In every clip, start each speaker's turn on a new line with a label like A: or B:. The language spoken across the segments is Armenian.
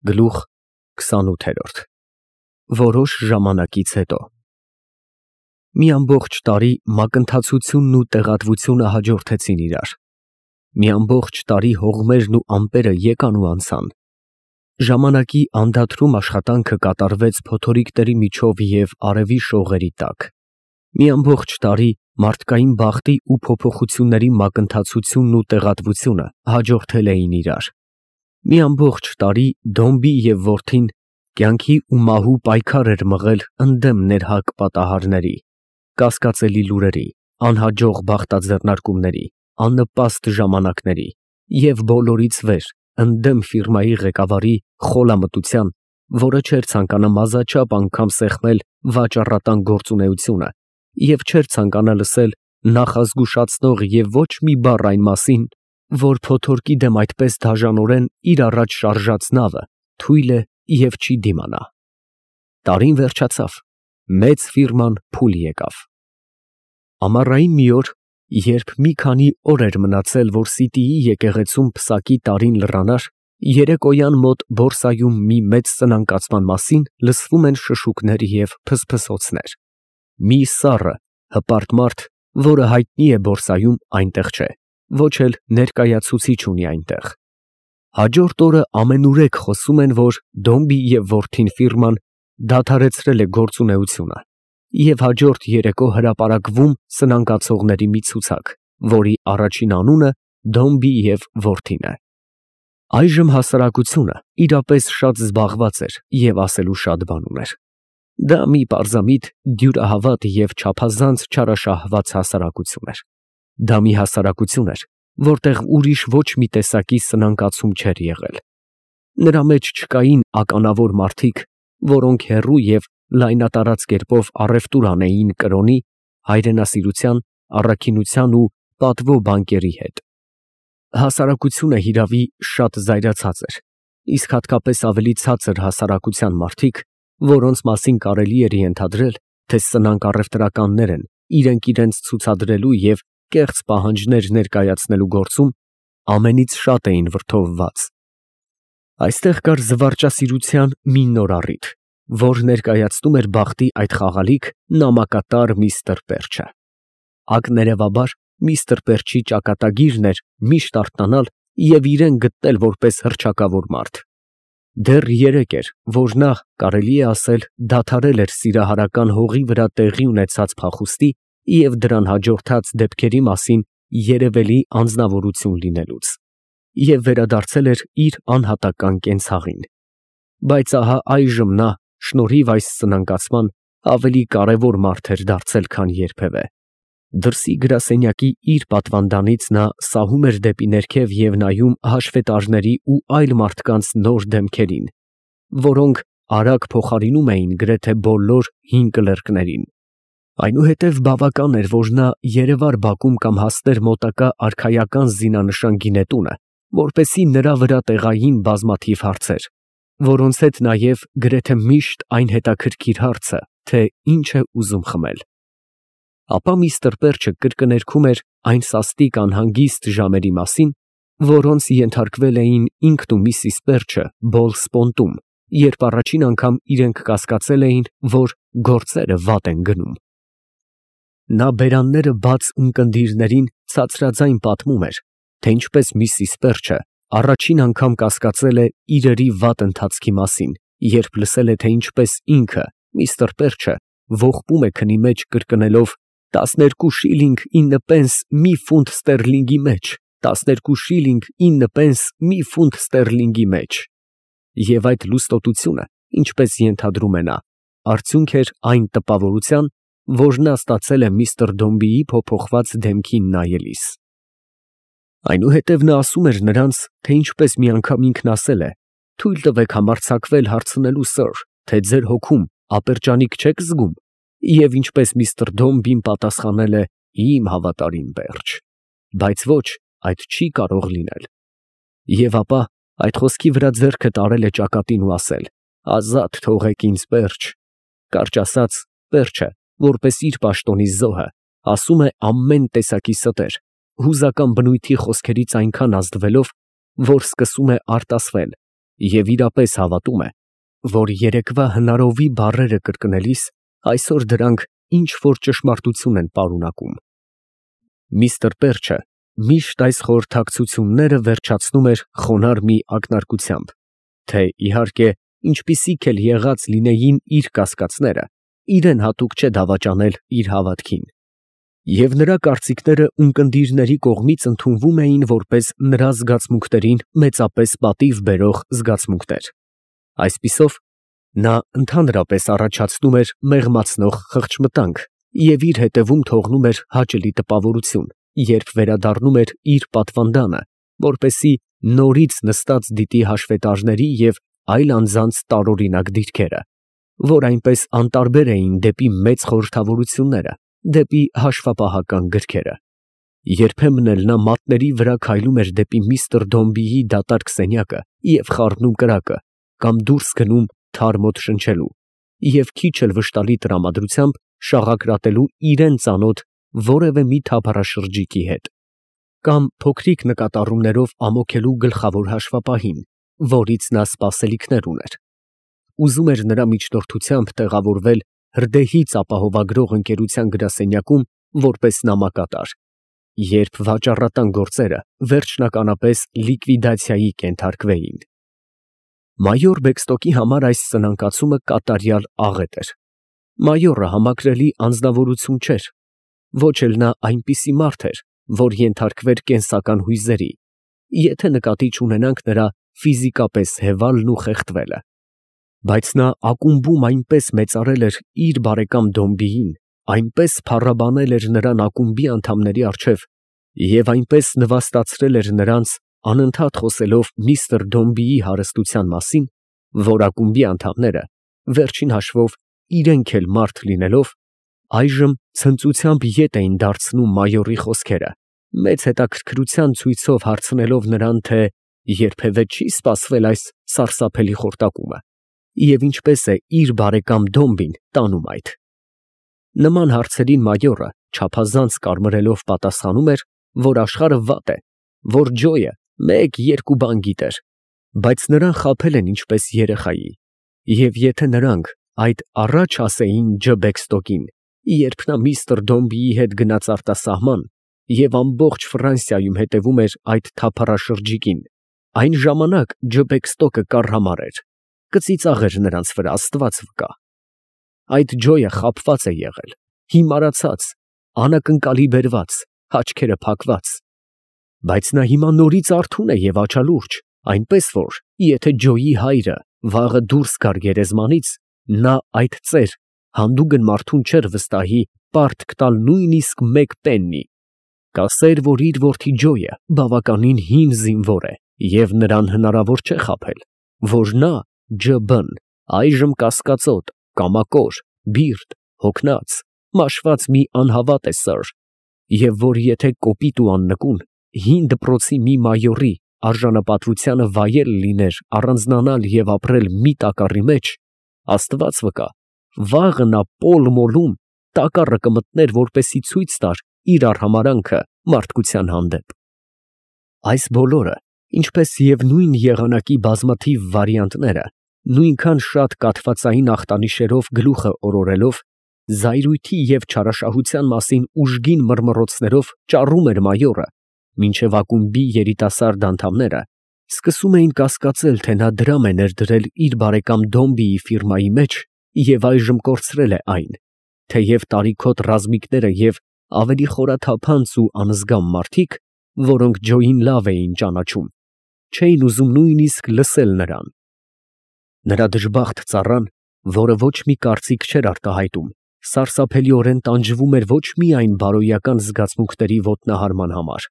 A: Գլուխ 28 Որոշ ժամանակից հետո Մի ամբողջ տարի մակընթացությունն ու տեղատվությունը հաջորդեցին իրար։ Մի ամբողջ տարի հողմերն ու ամպերը եկան ու անցան։ Ժամանակի անդադրում աշխատանքը կատարվեց փոթորիկների միջով և արևի շողերի տակ։ Մի ամբողջ տարի մարդկային բախտի ու փոփոխությունների մակընթացությունն ու տեղատվությունը հաջորդել էին իրար։ Մի ամբողջ տարի Դոմբի և որդին կյանքի ու մահու պայքար էր մղել ընդդեմ ներհակ պատահարների, կասկածելի լուրերի, անհաջող բախտաձեռնարկումների, աննպաստ ժամանակների և բոլորից վեր ընդդեմ ֆիրմայի ղեկավարի խոլամտության, որը չէր ցանկանում ազաչափ անգամ սեղմել վաճառատան գործունեությունը և չէր ցանկանում լսել նախազգուշացնող և ոչ մի բառ այն մասին, որ փոթորկի դեմ այդպես դաժանորեն իր առաջ շարժած նավը թույլ է և չի դիմանա։ Տարին վերջացավ, մեծ ֆիրման փուլ եկավ։ Ամառային մի օր, երբ մի քանի օր էր մնացել, որ Սիտիի եկեղեցում Փսակի տարին լռանար, երեկոյան մոտ բորսայում մի մեծ սնանկացման մասին լսվում են շշուկներ և փսփսոցներ։ Մի սառը, հպարտ մարդ, որը հայտնի է բորսայում, այնտեղ չէ, ոչ էլ ներկայացուցիչ ունի այնտեղ։ Հաջորդ օրը ամենուրեք խոսում են, որ Դոմբի և որդին ֆիրման դադարեցրել է գործունեությունը և հաջորդ երեկո հրապարակվում սնանկացողների մի ցուցակ, որի առաջին անունը Դոմբի և որդին է։ Այժմ հասարակությունը իրապես շատ զբաղված էր և ասելու շատ բան ուներ։ Դա մի պարզամիտ, դյուրահավատ և չափազանց չարաշահված հասարակություն էր։ Դա մի հասարակություն էր, որտեղ ուրիշ ոչ մի տեսակի սնանկացում չէր եղել։ Նրա մեջ չկային ականավոր մարդիկ, որոնք հեռու և լայնատարած կերպով առևտուր անեին կրոնի, հայրենասիրության, առաքինության ու պատվո բանկերի հետ։ Հասարակությունը հիրավի շատ զայրացած էր, իսկ հատկապես ավելի ցածր հասարակության մարդիկ, որոնց մասին կարելի էր ենթադրել, թե սնանկ առևտրականներ են իրենք իրենց ցուցադրելու և կեղծ պահանջներ ներկայացնելու գործում, ամենից շատ էին վրդովված։ Այստեղ կար զվարճասիրության մի նոր առիթ, որ ներկայացնում էր բախտի այդ խաղալիք նամակատար միստր Պերչը։ Ակներևաբար միստր Պերչի ճակատագիրն էր միշտ արթնանալ և իրեն գտնել որպես հռչակավոր մարդ։ Դեռ երեկ էր, որ նա, կարելի է ասել, դադարել էր սիրահարական հողի վրա տեղի ունեցած փախուստի և դրան հաջորդած դեպքերի մասին երևելի անձնավորություն լինելուց և վերադարձել էր իր անհատական կենցաղին։ Բայց ահա այժմ նա, շնորհիվ այս սնանկացման, ավելի կարևոր մարդ էր դարձել, քան երբևէ։ Դրսի գրասենյակի իր պատվանդանից նա սահում էր դեպի ներքև և նայում հաշվետարների ու այլ մարդկանց նոր դեմքերին, որոնք արագ փոխարինում էին գրեթե բոլոր հին կլերկներին։ Այնուհետև բավական էր, որ նա երևար բակում կամ հասներ մոտակա արքայական զինանշան գինետունը, որպեսզի նրա վրա տեղային բազմաթիվ հարցեր, որոնց հետ նաև գրեթե միշտ այն հետաքրքիր հարցը, թե ինչ է ուզում խմել։ Ապա միստր Պերչը կրկներգում էր այն սաստիկ անհանգիստ ժամերի մասին, որոնց ենթարկվել էին ինքն ու միսիս Պերչը Բոլսպոնտում, երբ առաջին անգամ իրենք կասկածել էին, որ գործերը վատ են գնում։ Նա բերանները բաց ունկնդիրներին ցածրաձայն պատմում էր, թե ինչպես միսիս Պերչը առաջին անգամ կասկածել է իրերի վատ ընթացքի մասին, երբ լսել է, թե ինչպես ինքը, միստր Պերչը, ողբում է քնի մեջ կրկնելով 12 շիլինգ 9 պենս մի ֆունտ ստերլինգի մեջ, 12 շիլինգ 9 պենս մի ֆունտ ստերլինգի մեջ։ Եվ այդ լուստոտությունը, ինչպես ենթադրում է նա, արդյունք էր այն տպավորության, որ նա ստացել է միստր Դոմբիի փոփոխված դեմքին նայելիս։ Այնուհետև նա ասում էր նրանց, թե ինչպես մի անգամ ինքն ասել է. «Թույլ տվեք համարձակվել հարցնելու, սըր, թե ձեր հոգում ապերջանիկ չեք զգում», և ինչպես միստր Դոմբին պատասխանել է. «Իմ հավատարիմ Պերճ, բայց ոչ, այդ չի կարող լինել»։ Եվ ապա այդ խոսքի վրա ձեռքը տարել է ճակատին ու ասել. «Ազատ թողեք ինձ, Պերճ»։ Կարճ ասած, Պերճը, որպես իր պաշտոնի զոհը, ասում է ամեն տեսակի ստեր, հուզական բնույթի խոսքերից այնքան ազդվելով, որ սկսում է արտասվել և իրապես հավատում է, որ երեկվա հնարովի բառերը կրկնելիս այսօր դրանք ինչ-որ ճշմարտություն են պարունակում։ Միստր Պերչը միշտ այս խորհրդակցությունները վերջացնում էր խոնարհ մի ակնարկությամբ, թե իհարկե ինչպիսիք էլ եղած լինեին իր կասկածները, իրեն հատուկ չէ դավաճանել իր հավատքին, և նրա կարծիքները ունկնդիրների կողմից ընդունվում էին որպես նրա զգացմունքներին մեծապես պատիվ բերող զգացմունքներ։ Այսպիսով, նա ընդհանրապես առաջացնում էր մեղմացնող խղճմտանք և իր հետևում թողնում էր հաճելի տպավորություն, երբ վերադառնում էր իր պատվանդանը, որպեսզի նորից նստած դիտի հաշվետարների և այլ անձանց տարօրինակ դիրքերը, որ այնպես անտարբեր էին դեպի մեծ խորհրդավորությունները, դեպի հաշվապահական գրքերը։ Երբեմն էլ նա մատների վրա քայլում էր դեպի միստր Դոմբիի դատարկ սենյակը և խառնում կրակը, կամ դուրս գնում թարմ օդ շնչելու և քիչ էլ վշտալի տրամադրությամբ շաղակրատելու իրան ծանոթ որևէ մի թափառաշրջիկի հետ, կամ փոքրիկ նկատառումներով ամոքելու գլխավոր հաշվապահին, որից նա սպասելիքներ ուներ, ուզում էր նրա միջնորդությամբ տեղավորվել հրդեհից ապահովագրող ընկերության գրասենյակում որպես նամակատար, երբ վաճառատան գործերը վերջնականապես լիկվիդացիայի կենթարկվեին։ Մայոր Բեքստոկի համար այս սնանկացումը կատարյալ աղետ էր։ Մայորը համակրելի անձնավորություն չէր, ոչ էլ նա այնպիսի մարդ էր, որ ենթարկվեր կենսական հույզերի, եթե նկատի չունենանք նրա ֆիզիկապես հևալն ու խեղդվելը, բայց նա ակումբում այնպես մեծարել էր իր բարեկամ Դոմբիին, այնպես փառաբանել էր նրան ակումբի անդամների առջև և այնպես նվաստացրել էր նրանց, անընդհատ խոսելով միստր Դոմբիի հարստության մասին, որ ակումբի անդամները, վերջին հաշվով իրենք էլ մարդ լինելով, այժմ ցնծությամբ ետ էին դարձնում մայորի խոսքերը, մեծ հետաքրքրության ցույցով հարցնելով նրան, թե երբևէ չի սպասվել այս սարսափելի խորտակումը, և ինչպես է իր բարեկամ Դոմբին տանում այդ։ Նման հարցերին մայորը չափազանց կարմրելով պատասխանում էր, որ աշխարհը վատ է, որ Ջոյը մեկ֊երկու բան գիտեր, բայց նրան խաբել են ինչպես երեխայի, և եթե նրանք այդ առաջ ասեին Ջ. Բեքստոկին, երբ նա միստր Դոմբիի հետ գնաց արտասահման և ամբողջ Ֆրանսիայում հետևում էր այդ թափառաշրջիկին, այն ժամանակ Ջ. Բեքստոկը կառ էր, կծիծաղեր նրանց վրա, Աստված վկա։ Այդ Ջոյը խաբված է եղել, հիմարացած, անակնկալի բերված, աչքերը փակված, բայց նա հիմա նորից արթուն է և աչալուրջ, այնպես որ, եթե Ջոյի հայրը վաղը դուրս գար գերեզմանից, նա այդ ծեր հանդուգն մարդուն չէր վստահի պարտք տալ նույնիսկ մեկ պեննի, կասեր, որ իր որդի Ջոյը բավականին հին զինվոր է և նրան հնարավոր չէ խաբել, որ նա Ջ.Բ.-ն այժմ կասկածոտ, կամակոր, բիրտ, հոգնած, մաշված մի անհավատ է սըր, և որ եթե կոպիտ ու աննկուն հին դպրոցի մի մայորի արժանապատվությանը վայել լիներ առանձնանալ և ապրել մի տակառի մեջ, Աստված վկա, վաղը նա Պոլ Մոլում տակառը կմտներ, որպեսզի ցույց տար իր արհամարհանքը մարդկության հանդեպ։ Այս բոլորը, ինչպես և նույն եղանակի բազմաթիվ վարիանտները, նույնքան շատ կաթվածային ախտանիշերով գլուխը օրորելով, զայրույթի և չարաշահության մասին ուժգին մռմռոցներով ճառում էր մայորը, մինչև ակումբի երիտասարդ անդամները սկսում էին կասկածել, թե նա դրամ է ներդրել իր բարեկամ Դոմբիի ֆիրմայի մեջ և այժմ կորցրել է այն, թեև տարիքոտ ռազմիկները և ավելի խորաթափանց ու անզգամ մարդիկ, որոնք Ջոյին լավ էին ճանաչում, չէին ուզում նույնիսկ լսել նրան։ Նրա դժբախտ ծառան, որը ոչ մի կարծիք չէր արտահայտում, սարսափելիորեն տանջվում էր ոչ միայն բարոյական զգացմունքների ոտնահարման համար,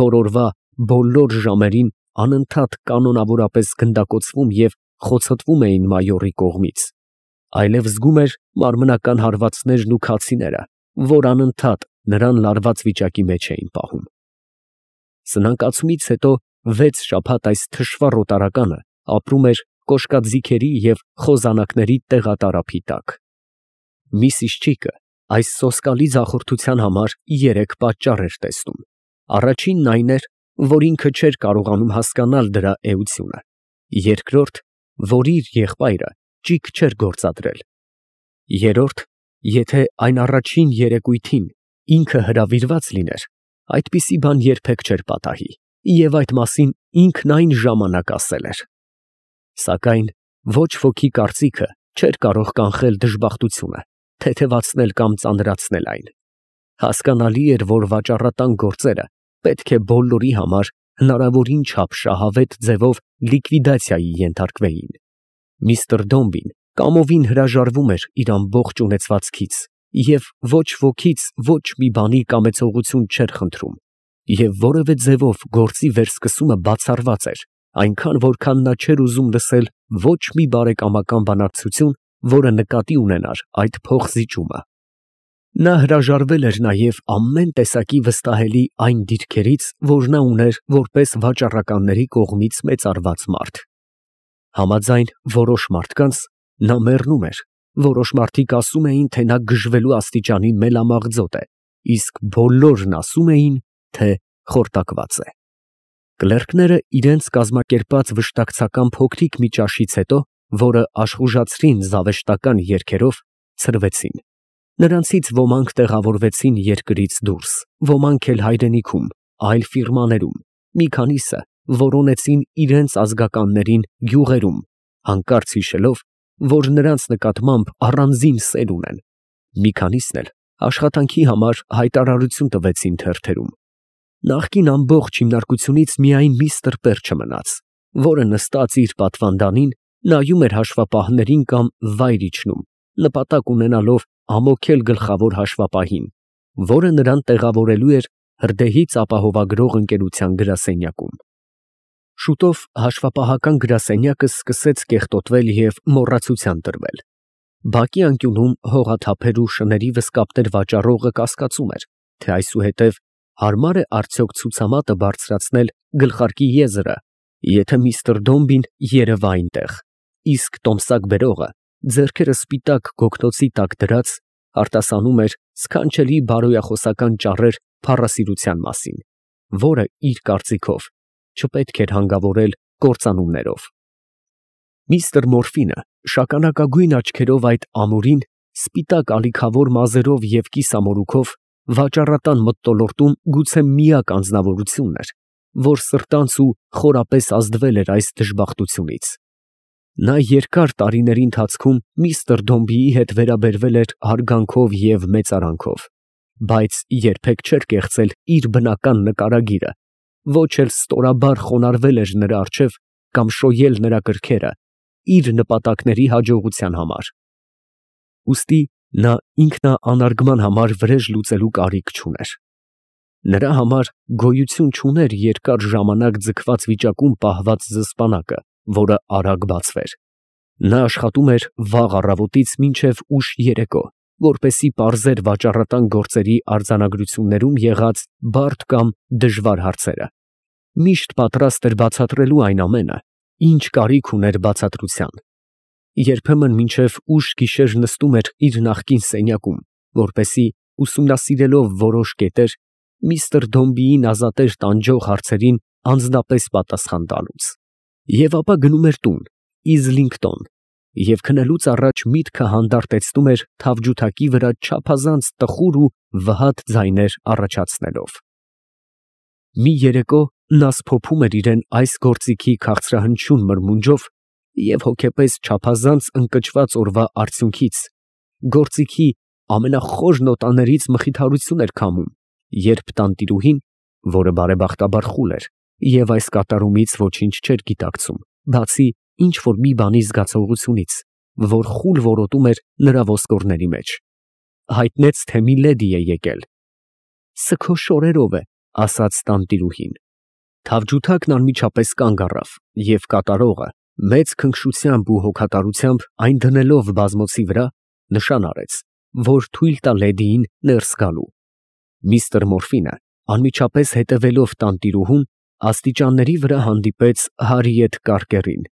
A: որ օրվա բոլոր ժամերին անընդհատ կանոնավորապես գնդակոծվում և խոցոտվում էին մայորի կողմից, այլև զգում էր մարմնական հարվածներն ու քացիները, որ անընդհատ նրան լարված վիճակի մեջ էին պահում։ Սնանկացումից հետո 6 շաբաթ այս թշվառ օտարականը ապրում էր կոշկաձիգերի և խոզանակների տեղատարափի տակ։ Միսիս Չիկը այս սոսկալի ձախորդության համար 3 պատճառ էր տեսնում. առաջինն այն էր, որ ինքը չէր կարողանում հասկանալ դրա էությունը, Երկրորդ, որ իր եղբայրը ճիգ չէր գործադրել։ Երրորդ, եթե այն առաջին երեկույթին ինքը հրավիրված լիներ, այդպիսի բան երբեք չէր պատահի, և այդ մասին ինքն այն ժամանակ ասել էր։ Սակայն ոչ ոքի կարծիքը չէր կարող կանխել դժբախտությունը, թեթևացնել կամ ծանրացնել այն։ Հասկանալի էր, որ վաճառատան գործերը պետք է բոլորի համար հնարավորին չափ շահավետ ձևով լիկվիդացիայի ենթարկվեին։ Միսթր Դոմբին կամովին հրաժարվում էր իր ամբողջ ունեցվածքից և ոչ ոքից ոչ մի բանի կամեցողություն չէր խնդրում, և որևէ ձևով գործի վերսկսումը բացառված էր, այնքան որքան նա չէր ուզում լսել ոչ մի բարեկամական բանակցություն, որը նկատի ունենար այդ փոխզիջումը։ Նա հրաժարվել էր նաև ամեն տեսակի վստահելի այն դիրքերից, որ նա ուներ որպես վաճառականների կողմից մեծարված մարդ։ Համաձայն որոշ մարդկանց նա մեռնում էր, որոշ մարդիկ ասում էին, թե նա գժվելու աստիճանի մելամաղձոտ է, իսկ բոլորն ասում էին, թե խորտակված է։ Կլերկները իրենց կազմակերպած վշտակցական փոքրիկ մի ճաշից հետո, որը աշխուժացրին զավեշտական երգերով, ցրվեցին։ Նրանցից ոմանք տեղավորվեցին երկրից դուրս, ոմանք էլ հայրենիքում, այլ ֆիրմաներում, մի քանիսը որոնեցին իրենց ազգականներին գյուղերում, հանկարծ հիշելով, որ նրանց նկատմամբ առանձին սեր ունեն, մի քանիսն էլ աշխատանքի համար հայտարարություն տվեցին թերթերում։ Նախկին ամբողջ հիմնարկությունից միայն միսթր Պերչը մնաց, որը նստած իր պատվանդանին նայում էր հաշվապահներին կամ վայր իջնում, նպատակ ունենալով ամոքել գլխավոր հաշվապահին, որը նրան տեղավորելու էր հրդեհից ապահովագրող ընկերության գրասենյակում։ Շուտով հաշվապահական գրասենյակը սկսեց կեղտոտվել և մոռացության տրվել։ Բակի անկյունում հողաթափեր ու շների վզկապներ վաճառողը կասկածում էր, թե այսուհետև հարմար է արդյոք ցուցամատը բարձրացնել գլխարկի եզրը, եթե միսթր Դոմբին երևա այնտեղ, իսկ տոմսակ բերողը, ձեռքերը սպիտակ գոգնոցի տակ դրած, արտասանում էր սքանչելի բարոյախոսական ճառեր փառասիրության մասին, որը իր կարծիքով չպետք էր հանգավորել կործանումներով։ Միսթր Մորֆինը շագանակագույն աչքերով այդ ամուրին, սպիտակ ալիքավոր մազերով և կիսամորուքով վաճառատան մթնոլորտում գուցե միակ անձնավորությունն էր, որ սրտանց ու խորապես ազդվել էր այս դժբախտությունից։ Նա երկար տարիների ընթացքում միսթր Դոմբիի հետ վերաբերվել էր հարգանքով և մեծարանքով, բայց երբեք չէր կեղծել իր բնական նկարագիրը, ոչ էլ ստորաբար խոնարհվել էր նրա առջև կամ շոյել նրա կրքերը իր նպատակների հաջողության համար։ Ուստի նա ինքնանարգման համար վրեժ լուծելու կարիք չուներ։ Նրա համար գոյություն չուներ երկար ժամանակ ձգված վիճակում պահված զսպանակը, որը արագ բացվեր։ Նա աշխատում էր վաղ առավոտից մինչև ուշ երեկո, որպեսզի պարզեր վաճառատան գործերի արձանագրություններում եղած բարդ կամ դժվար հարցերը։ Միշտ պատրաստ էր բացատրելու այն ամենը, ինչ կարիք ուներ բացատրության։ Երբեմն մինչև ուշ գիշեր նստում էր իր նախկին սենյակում, որպեսզի ուսումնասիրելով որոշ կետեր, միսթր Դոմբիին ազատեր տանջող հարցերին անձնապես պատասխան տալուց։ Եվ ապա գնում էր տուն, Իզլինգտոն, և քնելուց առաջ միտքը հանդարտեցնում էր թավջութակի վրա չափազանց տխուր ու վհատ ձայներ առաջացնելով։ Մի երեկո նա սփոփում էր իրեն այս գործիքի քաղցրահնչյուն մրմունջով և հոգեպես չափազանց ընկճված օրվա արդյունքից գործիքի ամենախոր նոտաներից մխիթարություն էր քամում, երբ տանտիրուհին, որը բարեբախտաբար խուլ էր և այս կատարումից ոչինչ չէր գիտակցում, բացի ինչ֊որ մի բանի զգացողությունից, որ խուլ որոտում էր նրա ոսկորների մեջ, հայտնեց, թե մի լեդի է եկել։ «Սը քո շորերով է», ասաց տանտիրուհին։ Թավջութակն անմիջապես կանգ առավ, և կատարողը, մեծ քնքշությամբ ու հոգատարությամբ այն դնելով բազմոցի վրա, նշան արեց, որ թույլ տա լեդիին ներս գալու։ Միսթր Մորֆինը, անմիջապես հետևելով տանտիրուհուն, աստիճանների վրա հանդիպեց Հարիեթ Կարկերին,